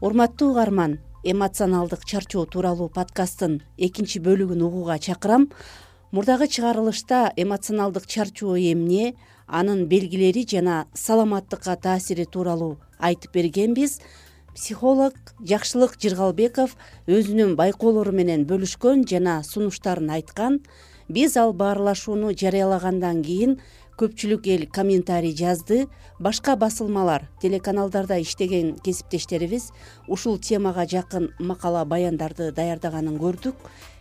Урматтуу угарман, эмоционалдык чарчоо тууралуу подкасттын экинчи бөлүгүн угууга чакырам. Мурдагы чыгарылышта эмоционалдык чарчоо эмне, анын белгилери жана саламаттыкка таасири тууралуу айтып бергенбиз. Психолог Жакшылык Жыргалбеков өзүнүн байкоолору менен бөлүшкөн жана сунуштарын айткан. Биз ал баарлашууну жарыялагандан кийин көпчүлүк эл комментарий жазды. Башка басылмалар, телеканалдарда иштеген кесиптештерибиз ушул темага жакын макала баяндарды даярдаганын көрдүк.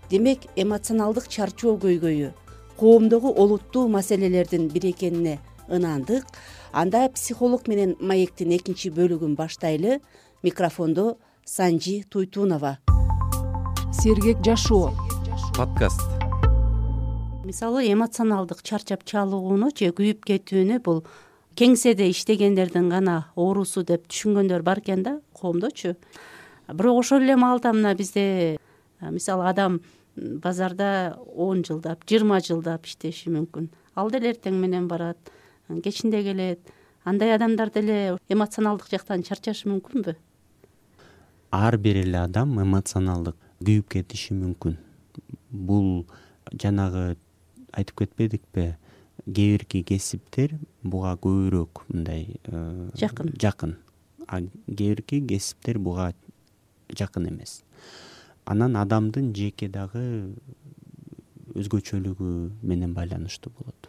Демек, эмоционалдык чарчоо көйгөйү коомдогу олуттуу маселелердин бири экенине ынандык. Анда психолог менен маектин экинчи бөлүгүн баштайлы. Микрофондо Санжи Туйтунова. Сергек жашоо подкаст. Мисалы, эмоционалдык чарчап чалууну же күйүп кетүүнү бул кеңседе иштегендердин гана оорусу деп түшүнгөндөр бар экен да коомдочу. Бирок ошол эле маалда мына бизде мисалы адам базарда 10 жылдап, 20 жылдап иштеши мүмкүн. Ал деле эртең менен барат, кечинде келет. Андай адамдар деле эмоционалдык жактан чарчашы мүмкүнбү? Ар бир эле адам эмоционалдык күйүп кетиши мүмкүн. Бул жанагы айтып кетпедикпи, кээ бирки кесиптер буга көбүрөөк мындай жакын. А кээ бирки кесиптер буга жакын эмес. Анан адамдын жеке дагы өзгөчөлүгү менен байланыштуу болот.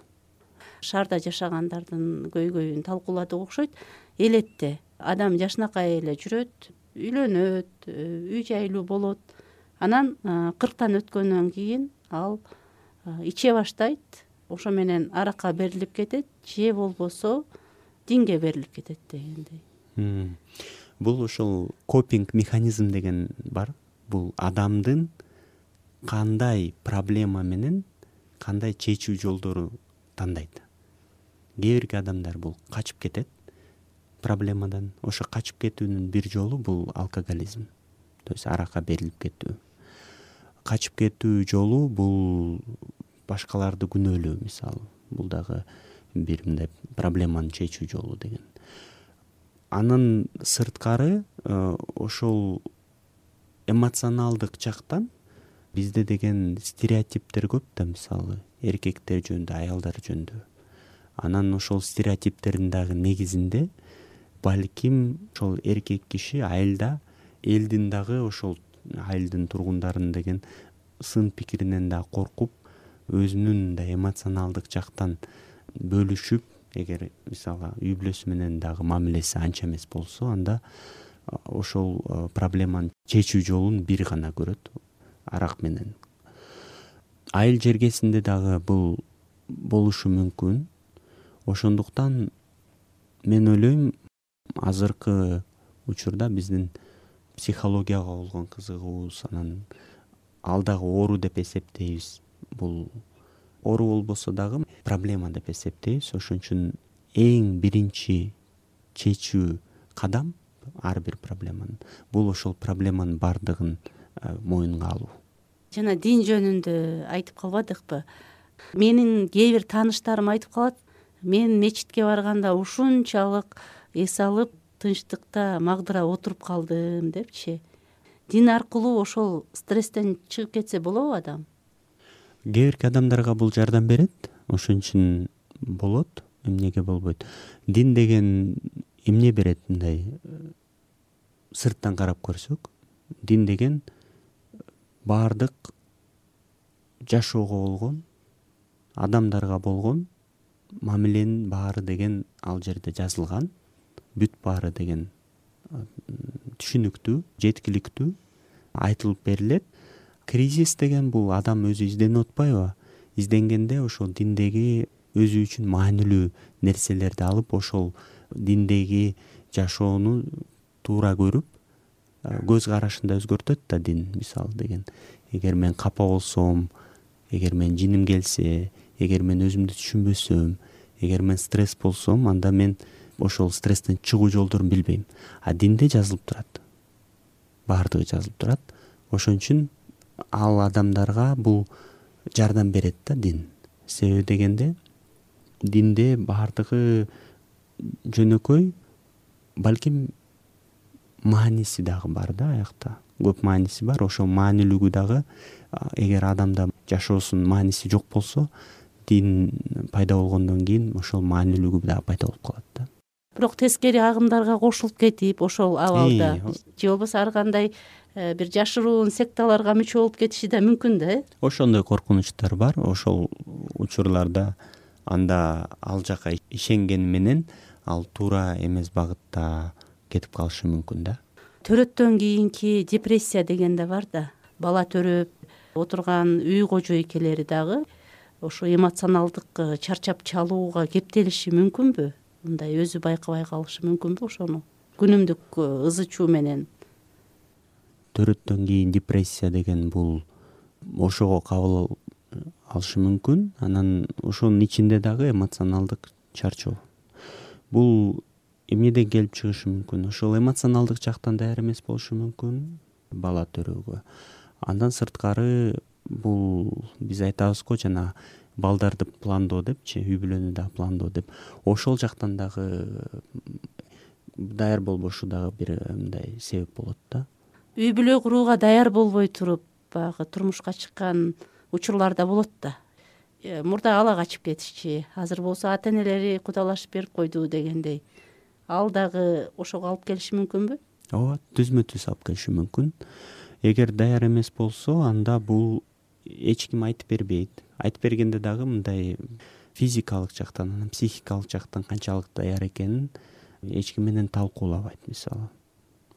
Шаарда жашагандардын көйгөйүн талкууладык окшойт. Элетте адам жашынакай эле жүрөт, үйлөнөт, үй жайлуу болот. Анан 40тан өткөндөн кийин ал иче баштайт, ошо менен аракка берилип кетет, же болбосо динге берилип кетет дегендей. Бул ошол копинг механизм деген бар. Бул адамдын кандай проблема менен кандай чечүү жолдору тандайт. Кээ бирки адамдар бул качып кетет проблемадан. Ошо качып кетүүнүн бир жолу бул алкоголизм, то есть аракка берилип кетүү. Качып кетүү жолу бул башкаларды күнөөлөө, мисалы. Бул дагы бир мындай проблеманы чечүү жолу деген. Анын сырткары ошол эмоционалдык жактан бизде деген стереотиптер көп да, мисалы, эркектер жөнүндө, аялдар жөнүндө. Анан ошол стереотиптердин дагы негизинде балким ошол эркек киши айылда элдин дагы ошол айылдын тургундарын деген сын пикиринен да коркуп, өзүнүн да эмоционалдык жактан бөлүшүп, эгер мисалы үй бүлөсү менен дагы мамилеси анча эмес болсо, анда ошол проблеманы чечүү жолун бир гана көрөт, арак менен. Айыл жергесинде дагы бул болушу мүмкүн. Ошондуктан мен ойлойм, азыркы учурда биздин психологияга болгон кызыгуубуз, анан ал дагы оору деп эсептейбиз. Бул оору болбосо дагы проблема деп эсептейбиз. Ошон үчүн эң биринчи чечүү кадам ар бир проблеманын бул ошол проблеманын бардыгын моюнга алуу. Жана дин жөнүндө айтып калбадыкпы? Менин кээ бир тааныштарым айтып калат, мен мечитке барганда ушунчалык эс алып, тынчтыкта магдыра отуруп калдым депчи. Дин аркылуу ошол стресстен чыгып кетсе болобу адам? Кээ бирки адамдарга бул жардам берет, ошон үчүн болот, эмнеге болбойт. Дин деген эмне берет, мындай сырттан карап көрсөк, дин деген баардык жашоого болгон, адамдарга болгон мамиленин баары деген ал жерде жазылган, бүт баары деген түшүнүктүү, жеткиликтүү айтылып берилет. Кризис деген бул адам өзү изденип атпайбы? Изденгенде ошол диндеги өзү үчүн маанилүү нерселерди алып, ошол диндеги жашоону туура көрүп, көз карашын да өзгөртөт да дин, мисалы деген. Эгер мен капа болсом, эгер мен жиним келсе, эгер мен өзүмдү түшүнбөсөм, эгер мен стресс болсом, анда мен ошол стресстен чыгуу жолдорун билбейм. А динде жазылып турат. Баардыгы жазылып турат. Ошон үчүн ал адамдарга бул жардам берет да дин. Себеби дегенде динде баардыгы жөнөкөй, балким мааниси дагы бар да, аякта көп мааниси бар. Ошол маанилүүлүгү дагы эгер адамда жашоосунун мааниси жок болсо, дин пайда болгондон кийин ошол маанилүүлүгү дагы пайда болуп калат да. Бирок тескери агымдарга кошулуп кетип ошол абалда же болбосо ар кандай бир жашыруун секталарга мүчө болуп кетиши да мүмкүн да. Ошондой коркунучтар бар. Ошол учурларда анда ал жака ишенгени менен ал туура эмес багытта кетип калышы мүмкүн да. Төрөттөн кийинки депрессия деген да бар да. Бала төрөп отурган үй кожо экелери дагы ошо эмоционалдык чарчап чалууга кептелиши мүмкүнбү? Мындай өзү байкабай калышы мүмкүнбү ошону күнүмдүк ызы чуу менен? Төрөттөн кийин депрессия деген бул ошого кабыл алышы мүмкүн. Анан ошонун ичинде дагы эмоционалдык чарчоо. Бул эмнеден келип чыгышы мүмкүн? Ошол эмоционалдык жактан даяр эмес болушу мүмкүн бала төрөөгө. Андан сырткары бул биз айтабыз го жана балдарды пландоо депчи, үй бүлөнү дагы пландоо деп. Ошол жактан дагы даяр болбошу дагы бир мындай себеп болот да. Үй бүлө курууга даяр болбой туруп баягы турмушка чыккан учурлар да болот да. Мурда ала качып кетишчи, азыр болсо ата энелери кудалашып берип койду дегендей. Ал дагы ошого алып келиши мүмкүнбү? Ооба, түзмө түз алып келиши мүмкүн. Эгер даяр эмес болсо, анда бул эч ким айтып бербейт. Айтып бергенде дагы мындай физикалык жактан, анан психикалык жактан канчалык даяр экенин эч ким менен талкуулабайт. Мисалы,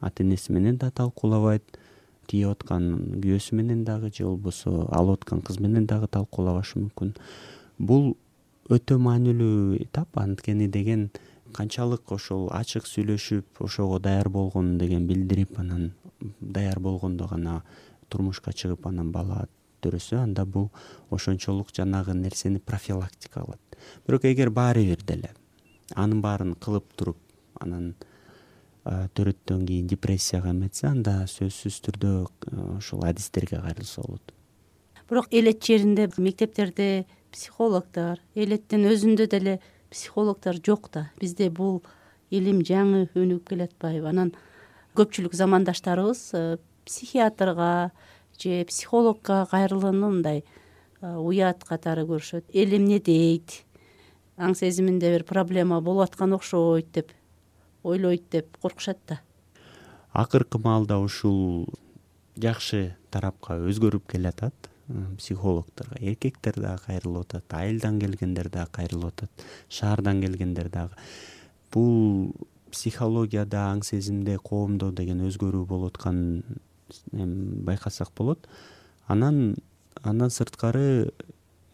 ата энеси менен да талкуулабайт, тийип аткан күйөөсү менен дагы же болбосо алып аткан кыз менен дагы талкуулабашы мүмкүн. Бул өтө маанилүү этап, анткени деген канчалык ошол ачык сүйлөшүп, ошого даяр болгонун деген билдирип, анан даяр болгондо гана турмушка чыгып, анан бала төрөсө, анда бул ошончолук жанагы нерсени профилактика кылат. Бирок эгер баары бир деле анын баарын кылып туруп, анан төрөттөн кийин депрессияга эметсе, анда сөзсүз түрдө ошол адистерге кайрылса болот. Бирок элет жеринде, мектептерде психологдор, элеттин өзүндө деле психологдор жок да. Бизде бул илим жаңы өнүгүп келатпайбы? Анан көпчүлүк замандаштарыбыз психиатрга же психологко кайрылууну мындай уят катары көрүшөт. Эл эмне дейт? Аң сезиминде бир проблема болуп аткан окшойт деп ойлойт деп коркушат да. Акыркы маалда ушул жакшы тарапка өзгөрүп келатат. Психологдорго эркектер дагы кайрылып атат, айылдан келгендер дагы кайрылып атат, шаардан келгендер дагы. Бул психологияда, аң сезимде, коомдо деген өзгөрүү болуп атканын байкасак болот. Андан сырткары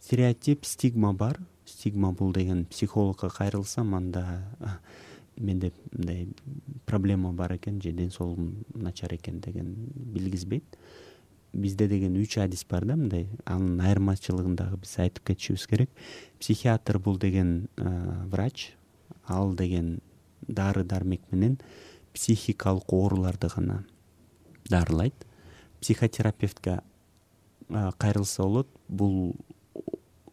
стереотип, стигма бар. Стигма бул деген психологко кайрылсам, анда менде мындай проблема бар экен же ден соолугум начар экен деген билгизбейт. Бизде деген 3 адис бар да, мындай. Анын айырмачылыгын дагы биз айтып кетишибиз керек. Психиатр бул деген врач, ал деген дары дармек менен психикалык ооруларды гана дарылайт. Психотерапевтке кайрылса болот. Бул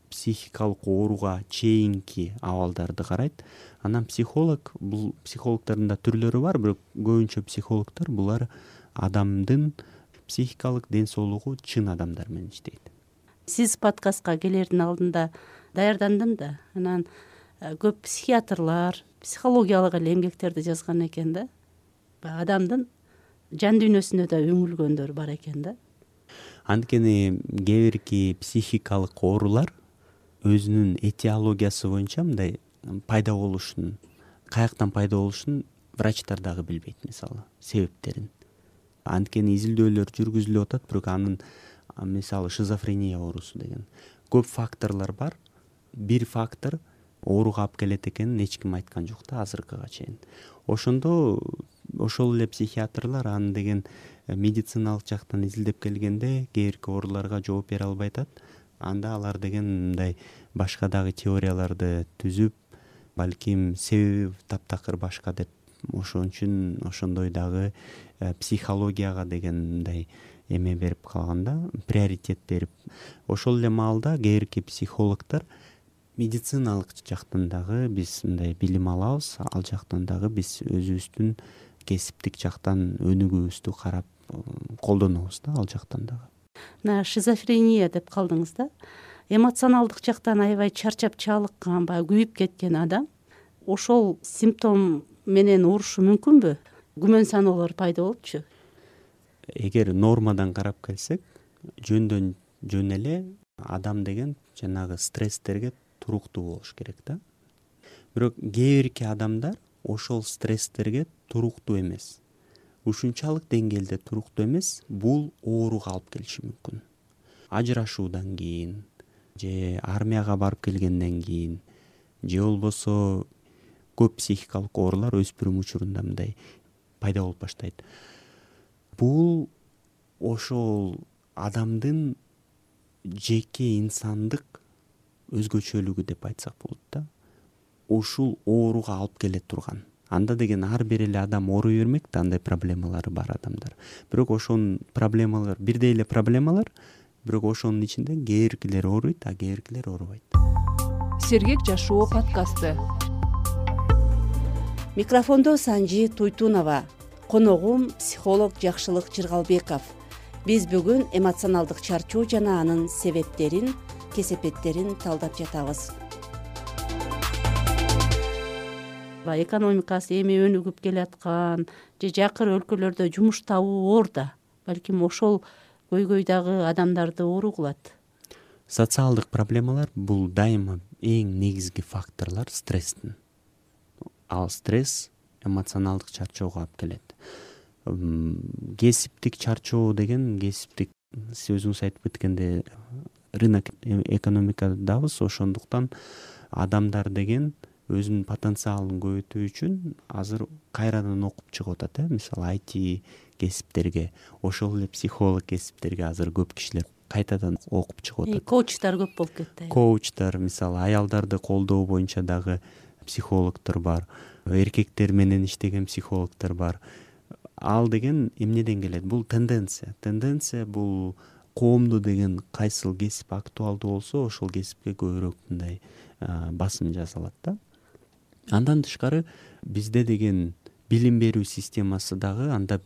психикалык ооруга чейинки абалдарды карайт. Анан психолог, бул психологдордун да түрлөрү бар, бирок көбүнчө психологдор булар адамдын психикалык ден соолугу чын адамдар менен иштейт. Сиз подкастка келердин алдында даярдандым да. Анан көп психиатрлар психологиялык эле эмгектерди жазган экен да. Адамдын жан дүйнөсүнө да үңүлгөндөр бар экен да. Анткени кээ бирки психикалык оорулар өзүнүн этиологиясы боюнча мындай пайда болушун, каяктан пайда болушун врачтар дагы билбейт, мисалы, себептерин. Анткени изилдөөлөр жүргүзүлүп атат, бирок анын мисалы шизофрения оорусу деген көп факторлор бар. Бир фактор ооруга алып келет экенин эч ким айткан жок да азыркыга чейин. Ошондо ошол эле психиатрлар аны деген медициналык жактан изилдеп келгенде кээ бирки ооруларга жооп бере албай атат. Анда алар деген мындай башка дагы теорияларды түзүп, балким себеби таптакыр башка деп, ошон үчүн ошондой дагы психологияга деген мындай эме берип калганда, приоритет берип. Ошол эле маалда кээ бирки психологдор медициналык жактан дагы биз мындай билим алабыз, ал жактан дагы биз өзүбүздүн кесиптик жактан өнүгүүбүздү карап колдонобуз да ал жактан дагы. Мына шизофрения деп калдыңыз да. Эмоционалдык жактан аябай чарчап чалыккан, баягы күйүп кеткен адам ошол симптом менен оорушу мүмкүнбү? Күмөн саноолор пайда болупчу. Эгер нормадан карап келсек, жөндөн жөн эле адам деген жанагы стресстерге туруктуу болуш керек да. Бирок кээ бирки адамдар ошол стресстерге туруктуу эмес. Ушунчалык деңгээлде туруктуу эмес, бул ооруга алып келиши мүмкүн. Ажырашуудан кийин же армияга барып келгенден кийин же болбосо көп психикалык оорулар өспүрүм учурунда мындай пайда болуп баштайт. Бул ошол адамдын жеке инсандык өзгөчөлүгү деп айтсак болот да. Ушул ооруга алып келе турган. Анда деген ар бир эле адам ооруй бермек да, андай проблемалары бар адамдар. Бирок ошонун проблемалар бирдей эле проблемалар, бирок ошонун ичинде кээ биркилер ооруйт, а кээ биркилер оорубайт. Сергек жашоо подкасты. Микрофондо Санжи Туйтунова, коногум психолог Жакшылык Жыргалбеков. Биз бүгүн эмоционалдык чарчоо жана анын себептерин, кесепеттерин талдап жатабыз. Экономикасы эми өнүгүп келаткан же жакыр өлкөлөрдө жумуш табуу оор да. Балким ошол көйгөйдагы адамдарды оору кылат. Социалдык проблемалар бул дайыма эң негизги факторлор стресстин. Ал стресс эмоционалдык чарчоого алып келет. Кесиптик чарчоо деген кесиптик сөзүңүз айтып кеткенде рынок экономикадабыз, ошондуктан адамдар деген өзүнүн потенциалын көбөйтүү үчүн азыр кайрадан окуп чыгып атат. Мисалы IT кесиптерге, ошол эле психолог кесиптерге азыр көп кишилер кайтадан окуп чыгып атат. Коучтар көп болуп кетти. Коучтар, мисалы аялдарды колдоо боюнча дагы психологдор бар, эркектер менен иштеген психологдор бар. Ал деген эмнеден келет? Бул тенденция. Тенденция бул коомдо деген кайсыл кесип актуалдуу болсо, ошол кесипке көбүрөөк мындай басым жасалат да. Андан тышкары бизде деген билим берүү системасы дагы, анда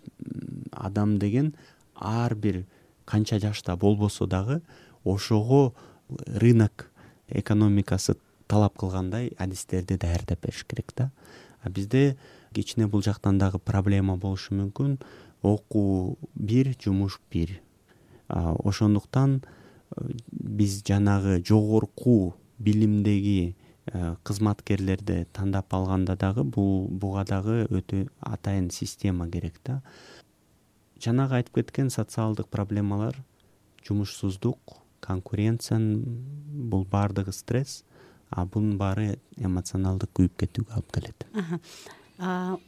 адам деген ар бир канча жашта болбосо дагы ошого рынок экономикасы талап кылгандай адистерди даярдап бериш керек да. А бизде кичине бул жактан дагы проблема болушу мүмкүн. Окуу бир, жумуш бир. Ошондуктан биз жанагы жогорку билимдеги кызматкерлерди тандап алганда дагы буга дагы өтө атайын система керек да. Жанагы айтып кеткен социалдык проблемалар, жумушсуздук, конкуренция, бул баардыгы стресс, а бунун баары эмоционалдык күйүп кетүүгө алып келет.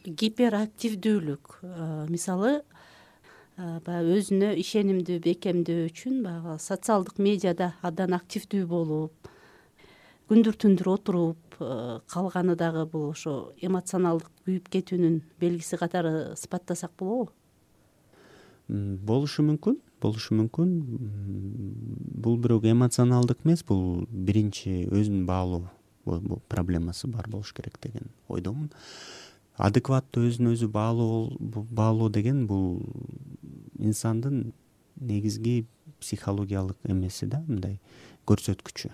Гиперактивдүүлүк, мисалы баягы өзүнө ишенимдүү бекемдөө үчүн баягы социалдык медиада абдан активдүү болуп, күндүр-түндүр отуруп калганы дагы бул ошо эмоционалдык күйүп кетүүнүн белгиси катары сыпаттасак болобу? Болушу мүмкүн. Бул бирок эмоционалдык эмес, бул биринчи өзүн баалоо проблемасы бар болуш керек деген ойдомун. Адекваттуу өзүн өзү баалоо деген бул инсандын негизги психологиялык эмеси да, мындай көрсөткүчү.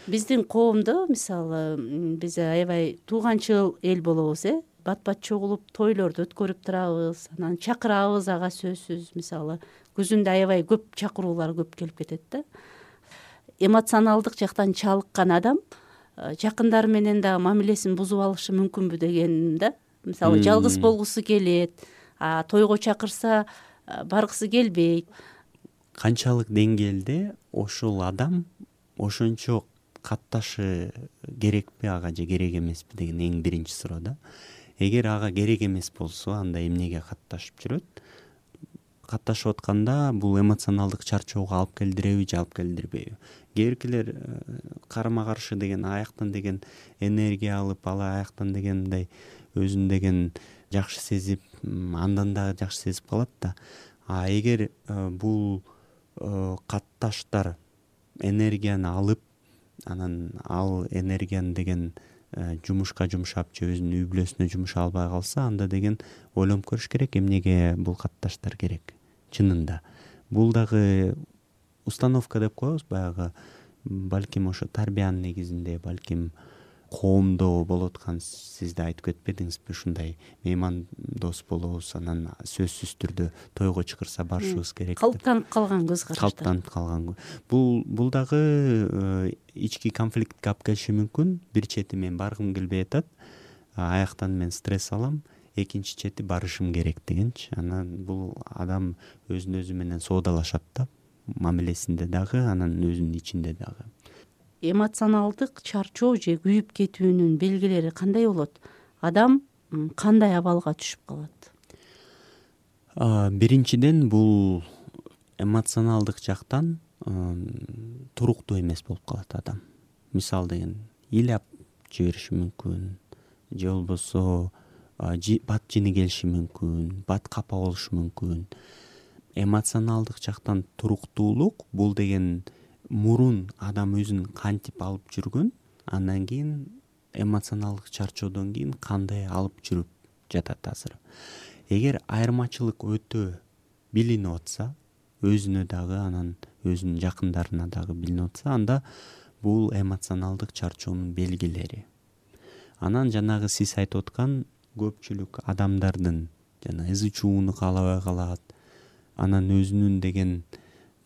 Биздин коомдо мисалы биз аябай тууганчыл эл болобуз, бат чогулуп тойлорду өткөрүп турабыз, анан чакырабыз ага сөзсүз. Мисалы күзүндө аябай көп чакыруулар көп келип кетет да. Эмоционалдык жактан чалыккан адам жакындары менен дагы мамилесин бузуп алышы мүмкүнбү дегеним да. Мисалы жалгыз болгусу келет, тойго чакырса баргысы келбейт. Канчалык деңгээлде ошол адам ошончо катташы керекпи ага же керек эмеспи деген эң биринчи суроо да. Эгер ага керек эмес болсо, анда эмнеге катташып жүрөт? Катташып атканда бул эмоционалдык чарчоого алып келдиреби же алып келдирбейби? Кээ биркилер карама каршы деген аяктан деген энергия алып, ал аяктан деген мындай өзүн деген жакшы сезип, андан дагы жакшы сезип калат да. А эгер бул катташтар энергияны алып, анан ал энергияны деген жумушка жумшап же өзүнүн үй бүлөсүнө жумшай албай калса, анда деген ойлонуп көрүш керек, эмнеге бул катташтар керек чынында. Бул дагы установка деп коебуз, баягы балким ошо тарбиянын негизинде, балким коомдо болуп аткан, сиз да айтып кетпедиңизби, ушундай меймандос болобуз, анан сөзсүз түрдө тойго чакырса барышыбыз керек деп. Калыптанып калган көз караштар. Калыптанып калган. Бул дагы ички конфликтке алып келиши мүмкүн. Бир чети мен баргым келбей атат, аяктан мен стресс алам, экинчи чети барышым керек дегенчи. Анан бул адам өзүн өзү менен соодалашат да, мамилесинде дагы, анан өзүнүн ичинде дагы. Эмоционалдык чарчоо же күйүп кетүүнүн белгилери кандай болот? Адам кандай абалга түшүп калат? Биринчиден, бул эмоционалдык жактан туруктуу эмес болуп калат адам. Мисалы деген ыйлап жибериши мүмкүн, же болбосо бат жини келиши мүмкүн, бат капа болушу мүмкүн. Эмоционалдык жактан туруктуулук бул деген мурун адам өзүн кантип алып жүргөн, андан кийин эмоционалдык чарчоодон кийин кандай алып жүрүп жатат азыр. Эгер айырмачылык өтө билинип атса, өзүнө дагы, анан өзүнүн жакындарына дагы билинип атса, анда бул эмоционалдык чарчоонун белгилери. Анан жанагы сиз айтып аткан көпчүлүк адамдардын жана ызы чууну каалабай калат, анан өзүнүн деген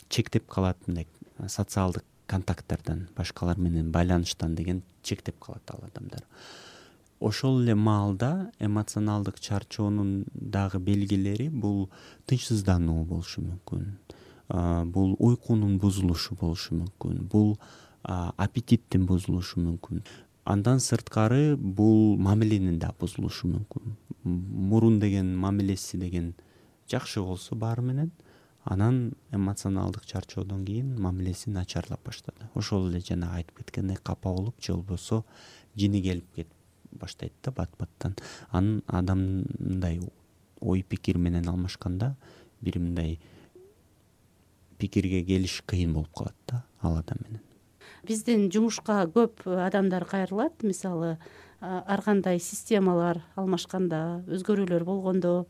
чектеп калат, мындай социалдык контакттардан, башкалар менен байланыштан деген чектеп калат ал адамдар. Ошол эле маалда эмоционалдык чарчоонун дагы белгилери бул тынчсыздануу болушу мүмкүн, бул уйкунун бузулушу болушу мүмкүн, бул аппетиттин бузулушу мүмкүн. Андан сырткары бул мамиленин да бузулушу мүмкүн. Мурун деген мамилеси деген жакшы болсо баары менен, анан эмоционалдык чарчоодон кийин мамилеси начарлап баштады. Ошол эле жана айтып кеткендей капа болуп, же болбосо жини келип кетип баштайт да бат-баттан. Анан адам мындай ой пикир менен алмашканда бир мындай пикирге келиш кыйын болуп калат да ал адам менен. Биздин жумушка көп адамдар кайрылат. Мисалы, ар кандай системалар алмашканда, өзгөрүүлөр болгондо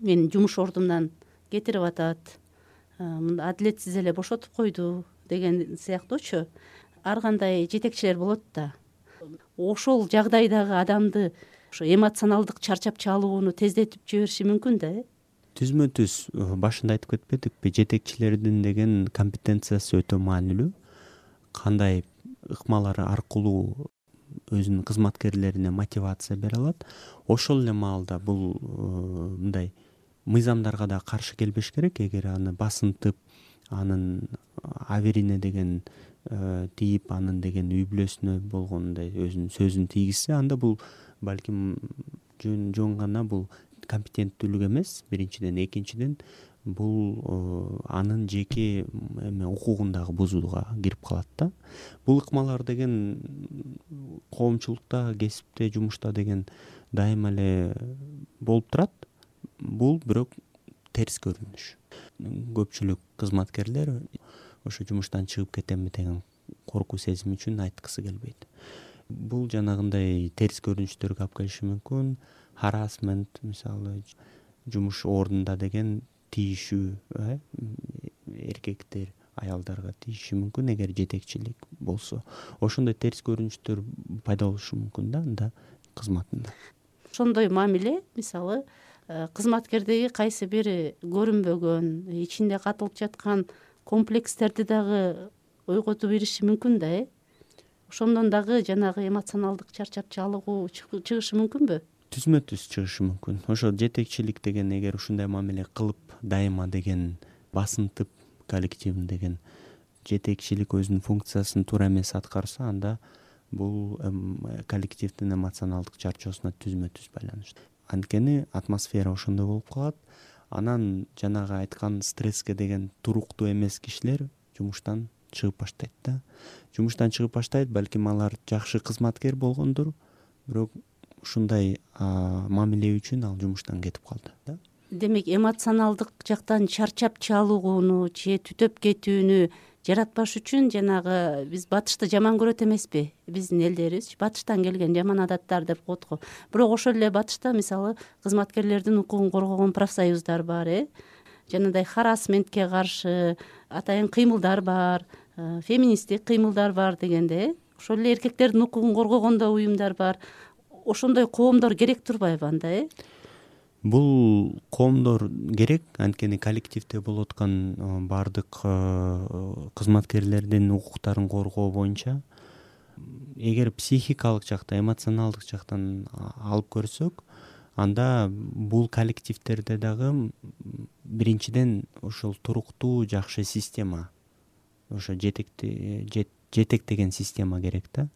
мен жумуш ордумдан кетирип атат, адилетсиз эле бошотуп койду деген сыяктуучу ар кандай жетекчилер болот да. Ошол жагдайдагы адамды ошо эмоционалдык чарчап чалууну тездетип жибериши мүмкүн да, Түзмө-түз башында айтып кетпедикпи, жетекчилердин деген компетенциясы өтө маанилүү. Кандай ыкмалар аркылуу өзүнүн кызматкерлерине мотивация бере алат. Ошол эле маалда бул мындай мыйзамдарга да каршы келбеш керек. Эгер аны басынтып, анын аверине деген тийип, анын деген үй бүлөсүнө болгондой өзүнүн сөзүн тийгизсе, анда бул балким жөн гана бул компетенттүүлүк эмес, биринчиден. Экинчиден, бул анын жеке укугун дагы бузууга кирип калат да. Бул ыкмалар деген коомчулукта, кесипте, жумушта деген дайыма эле болуп турат. Бул бирок терс көрүнүш. Көпчүлүк кызматкерлер ошо жумуштан чыгып кетемби деген коркуу сезими үчүн айткысы келбейт. Бул жанагындай терс көрүнүштөргө алып келиши мүмкүн. Харасмент, мисалы, жумуш ордунда деген тийишүү, эркектер аялдарга тийиши мүмкүн эгер жетекчилик болсо. Ошондой терс көрүнүштөр пайда болушу мүмкүн да анда кызматында. Ошондой мамиле, мисалы, кызматкердеги кайсы бир көрүнбөгөн, ичинде катылып жаткан комплекстерди дагы ойготуп бериши мүмкүн да, ошондон дагы жанагы эмоционалдык чарчап чалуу чыгышы мүмкүнбү? Түзмө-түз чыгышы мүмкүн. Ошо жетекчилик деген эгер ушундай мамиле кылып, дайыма деген басынтып, коллективин деген жетекчилик өзүнүн функциясын туура эмес аткарса, анда бул коллективдин эмоционалдык чарчоосуна түзмө-түз байланыштуу. Анткени атмосфера ошондой болуп калат. Анан жанагы айткан стресске деген туруктуу эмес кишилер жумуштан чыгып баштайт да. Жумуштан чыгып баштайт, балким алар жакшы кызматкер болгондур, бирок ушундай мамиле үчүн ал жумуштан кетип калды да. Демек, эмоционалдык жактан чарчап чалууну же түтөп кетүүнү жаратпаш үчүн жанагы биз батышты жаман көрөт эмеспи, биздин элдерибиз батыштан келген жаман адаттар деп коет го. Бирок ошол эле батышта мисалы кызматкерлердин укугун коргогон профсоюздар бар, жанагындай харассментке каршы атайын кыймылдар бар, феминисттик кыймылдар бар дегенде, ошол эле эркектердин укугун коргогон да уюмдар бар. Ошондой коомдор керек турбайбы анда? Бул коомдор керек, анткени коллективде болуп аткан баардык кызматкерлердин укуктарын коргоо боюнча эгер психикалык жактан, эмоционалдык жактан алып көрсөк, анда бул коллективдерде дагы биринчиден ошол туруктуу жакшы система, ошо жетектеген система керек да.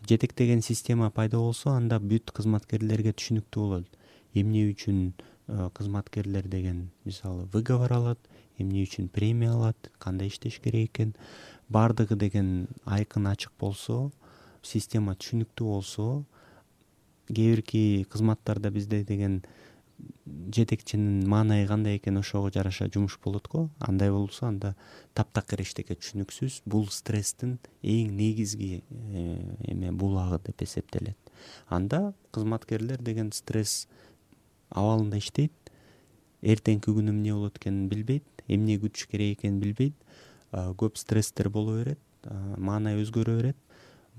Жетектеген система пайда болсо, анда бүт кызматкерлерге түшүнүктүү болот. Эмне үчүн кызматкерлер деген мисалы выговор алат, эмне үчүн премия алат, кандай иштеш керек экен, баардыгы деген айкын ачык болсо, система түшүнүктүү болсо, кээ бирки кызматтарда бизде деген жетекчинин маанайы кандай экен ошого жараша жумуш болот го. Андай болсо, анда таптакыр эчтеке түшүнүксүз, бул стресстин эң негизги булагы деп эсептелет. Анда кызматкерлер деген стресс абалында иштейт, эртеңки күнү эмне болот экенин билбейт, эмне күтүш керек экенин билбейт, көп стресстер боло берет, маанай өзгөрө берет.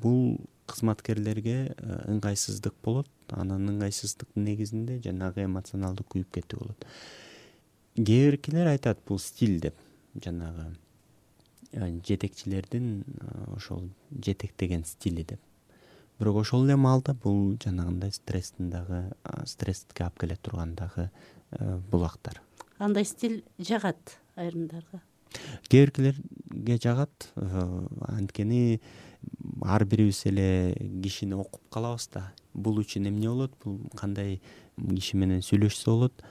Бул кызматкерлерге ыңгайсыздык болот. Анан ыңгайсыздыктын негизинде жанагы эмоционалдык күйүп кетүү болот. Кээ биркилер айтат бул стиль деп, жанагы жетекчилердин ошол жетектеген стили деп. Бирок ошол эле маалда бул жанагындай стресске алып келе турган дагы булактар. Андай стиль жагат айрымдарга. Кээ биркилерге жагат, анткени ар бирибиз эле кишини окуп калабыз да. Бул үчүн эмне болот, бул кандай киши менен сүйлөшсө болот,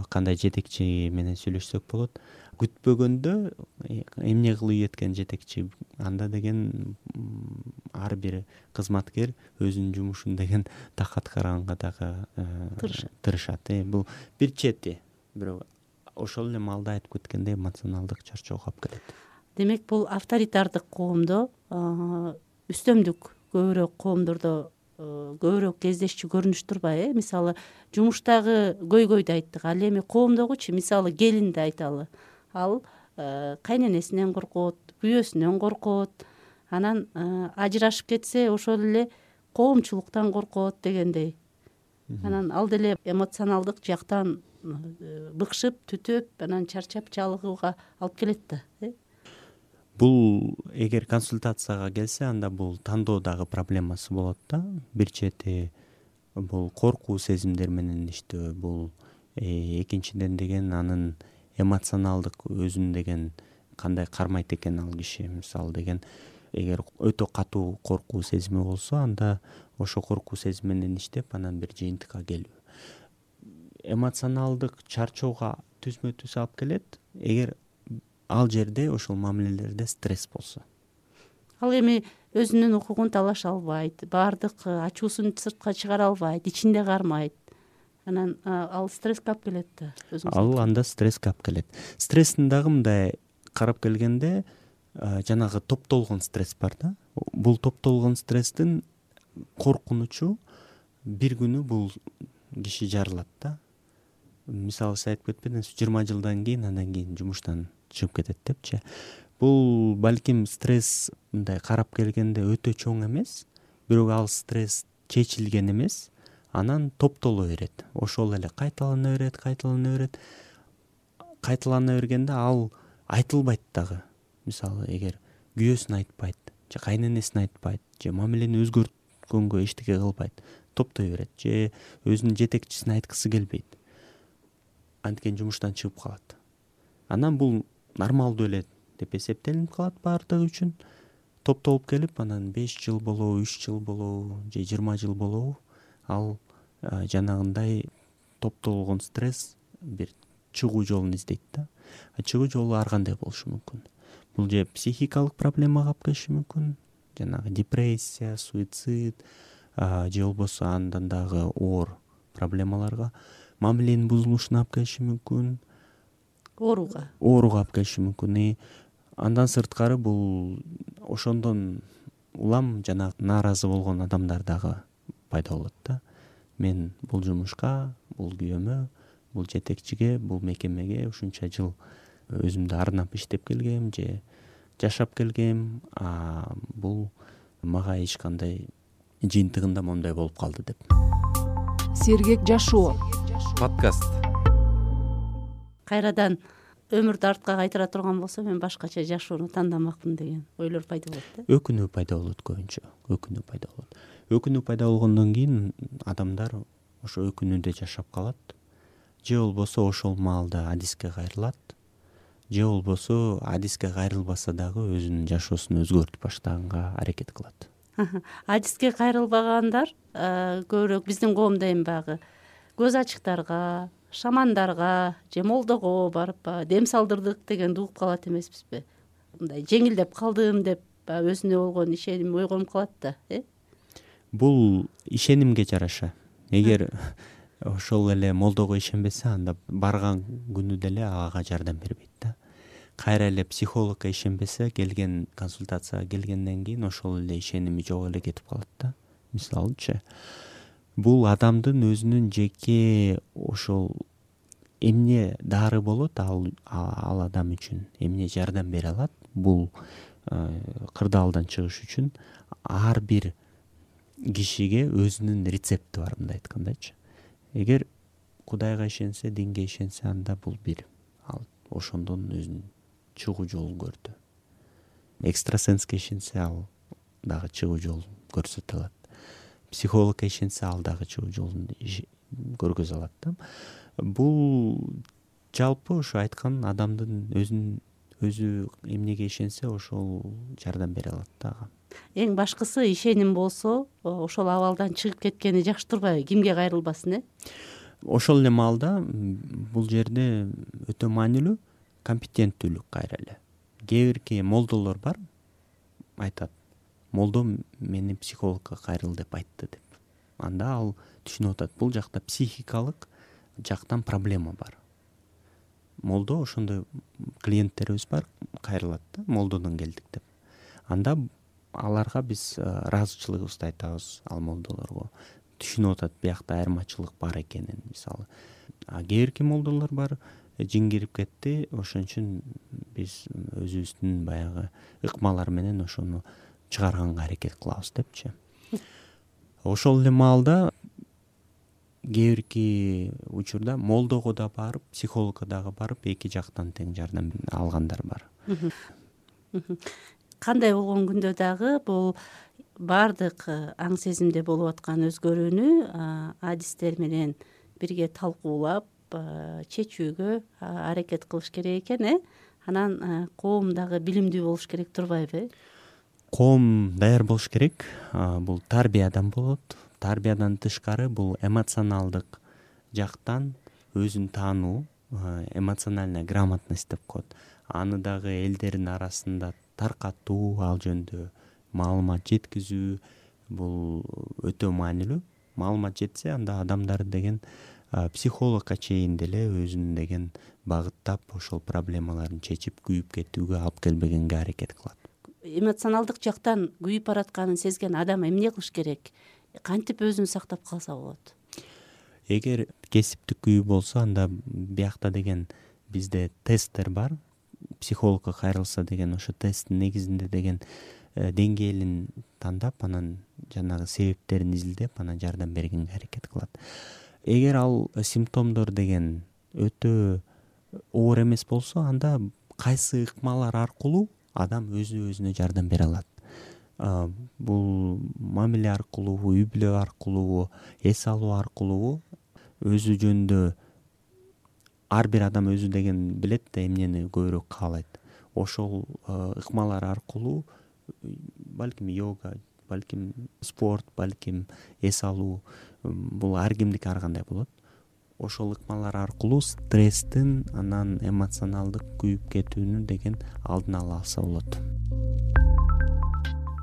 кандай жетекчи менен сүйлөшсөк болот. Күтпөгөндө эмне кылып кеткен жетекчи, анда деген ар бир кызматкер өзүнүн жумушун деген так аткарганга дагы тырышат. Бул бир чети, бирок ошол эле маалда айтып кеткендей эмоционалдык чарчоого алып келет. Демек, бул авторитардык коомдо үстөмдүк көбүрөөк коомдордо көбүрөөк кездешчү көрүнүш турбайбы? Мисалы жумуштагы көйгөйдү айттык, ал эми коомдогучу мисалы келинди айталы. Ал кайненесинен коркот, күйөөсүнөн коркот, анан ажырашып кетсе ошол эле коомчулуктан коркот дегендей. Анан ал деле эмоционалдык жактан быкшып, түтөп, анан чарчап чалыгууга алып келет да. Бул эгер консультацияга келсе, анда бул тандоодагы проблемасы болот да. Бир чети бул коркуу сезимдер менен иштөө, бул экинчиден деген анын эмоционалдык өзүн деген кандай кармайт экен ал киши. Мисалы деген эгер өтө катуу коркуу сезими болсо, анда ошо коркуу сезим менен иштеп, анан бир жыйынтыкка келүү. Эмоционалдык чарчоого түзмө түз алып келет, эгер ал жерде ошол мамилелерде стресс болсо. Ал эми өзүнүн укугун талаша албайт, баардык ачуусун сыртка чыгара албайт, ичинде кармайт. Анан ал стресске алып келет да. Ал анда стресске алып келет. Стресстин дагы мындай карап келгенде жанагы топтолгон стресс бар да. Бул топтолгон стресстин коркунучу бир күнү бул киши жарылат да. Мисалы сиз айтып кетпедиңизби, 20 жылдан кийин андан кийин жумуштан чыгып кетет депчи. Бул балким стресс мындай карап келгенде өтө чоң эмес, бирок ал стресс чечилген эмес, анан топтоло берет. Ошол эле кайталана берет. Кайталана бергенде ал айтылбайт дагы. Мисалы эгер күйөөсүн айтпайт, же кайненесин айтпайт, же мамилени өзгөрткөнгө эчтеке кылбайт, топтой берет, же өзүнүн жетекчисине айткысы келбейт, анткени жумуштан чыгып калат. Анан бул нормалдуу эле деп эсептелинип калат баардыгы үчүн. Топтолуп келип, анан 5 жыл болобу, 3 жыл болобу, же 20 жыл болобу, ал жанагындай топтолгон стресс бир чыгуу жолун издейт да. Чыгуу жолу ар кандай болушу мүмкүн. Бул же психикалык проблемага алып келиши мүмкүн, жанагы депрессия, суицид, же болбосо андан дагы оор проблемаларга, мамиленин бузулушуна алып келиши мүмкүн, ооруга алып келиши мүмкүн. Андан сырткары бул ошондон улам жана нааразы болгон адамдар дагы пайда болот да. Мен бул жумушка, бул күйөөмө, бул жетекчиге, бул мекемеге ушунча жыл өзүмдү арнап иштеп келгем же жашап келгем, бул мага эч кандай жыйынтыгында моундай болуп калды деп. Сергек жашоо подкаст. Кайрадан өмүрдү артка кайтара турган болсо мен башкача жашоону тандамакмын деген ойлор пайда болот да. Өкүнүү пайда болот көбүнчө. Өкүнүү пайда болгондон кийин адамдар ошо өкүнүүдө жашап калат. Же болбосо ошол маалда адиске кайрылат. Же болбосо адиске кайрылбаса дагы өзүнүн жашоосун өзгөртүп баштаганга аракет кылат. Адиске кайрылбагандар көбүрөөк биздин коомдо эми баягы көз ачыктарга, шамандарга же молдого барып дем салдырдык дегенди угуп калат эмеспизби? Мындай жеңилдеп калдым деп өзүнө болгон ишеним ойгонуп калат да. Бул ишенимге жараша. Эгер ошол эле молдого ишенбесе, анда барган күнү деле ага жардам бербейт да. Кайра эле психологко ишенбесе, келген консультацияга келгенден кийин ошол эле ишеними жок эле кетип калат да. Мисалычы, бул адамдын өзүнүн жеке ошол эмне дары болот ал адам үчүн, эмне жардам бере алат, бул кырдаалдан чыгыш үчүн ар бир кишиге өзүнүн рецепти бар, мындай айткандачы. Эгер Кудайга ишенсе, динге ишенсе, анда бул бир ал ошондон өзүнүн чыгуу жолун көрдү. Экстрасенске ишенсе, ал дагы чыгуу жолун көрсөтө алат. Психологко ишенсе, ал дагы чыгуу жолун көргөзө алат да. Бул жалпы ошо айткан адамдын өзү эмнеге ишенсе, ошол жардам бере алат дагы. Эң башкысы ишеним болсо, ошол абалдан чыгып кеткени жакшы турбайбы? Кимге кайрылбасын, Ошол эле маалда бул жерде өтө маанилүү компетенттүүлүк кайра эле. Кээ бирки молдолор бар, айтат, молдо мени психологко кайрыл деп айтты деп. Анда ал түшүнүп атат, бул жакта психикалык жактан проблема бар. Молдо ошондой клиенттерибиз бар, кайрылат да, молдодон келдик деп. Анда аларга биз ыраазычылыгыбызды айтабыз ал молдолорго. Түшүнүп атат, биякта айырмачылык бар экенин, мисалы. Кээ бирки молдолор бар, жин кирип кетти, ошон үчүн биз өзүбүздүн баягы ыкмалар менен ошону чыгарганга аракет кылабыз депчи. Ошол эле маалда кээ бирки учурда молдого да барып, психологко дагы барып, эки жактан тең жардам алгандар бар. Кандай болгон күндө дагы бул баардык аң сезимде болуп аткан өзгөрүүнү адистер менен бирге талкуулап чечүүгө аракет кылыш керек экен, Анан коом дагы билимдүү болуш керек турбайбы? Коом даяр болуш керек. Бул тарбиядан болот. Тарбиядан тышкары бул эмоционалдык жактан өзүн таануу, эмоциональная грамотность деп коет. Аны дагы элдердин арасында таркатуу, ал жөнүндө маалымат жеткизүү бул өтө маанилүү. Маалымат жетсе, анда адамдар деген психологко чейин деле өзүн деген багыттап ошол проблемаларын чечип, күйүп кетүүгө алып келбегенге аракет кылат. Эмоционалдык жактан күйүп баратканын сезген адам эмне кылыш керек? Кантип өзүн сактап калса болот? Эгер кесиптик күйүү болсо, анда биякта деген бизде тесттер бар. Психологко кайрылса деген ошо тесттин негизинде деген деңгээлин тандап, анан жанагы себептерин изилдеп, анан жардам бергенге аракет кылат. Эгер ал симптомдор деген өтө оор эмес болсо, анда кайсы ыкмалар аркылуу адам өзүнө жардам бере алат. Бул мамиле аркылуу, үй бүлө аркылуу, эс алуу аркылуу, өзү жөнүндө ар бир адам өзү деген билет да эмнени көбүрөөк каалайт. Ошол ыкмалар аркылуу балким йога, балким спорт, балким эс алуу, бул ар кимдики ар кандай болот. Ошол ыкмалар аркылуу стресстин, анан эмоционалдык күйүп кетүүнү деген алдын ала алса болот.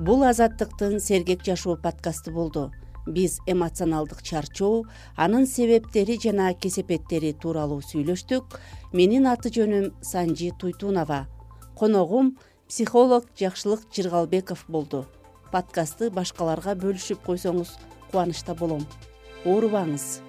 Бул Азаттыктын Сергек жашоо подкасты болду. Биз эмоционалдык чарчоо, анын себептери жана кесепеттери тууралуу сүйлөштүк. Менин аты жөнүм Санжи Туйтунова. коногум психолог Жакшылык Жыргалбеков болду. Подкастты башкаларга бөлүшүп койсоңуз кубанычта болом. Оорубаңыз.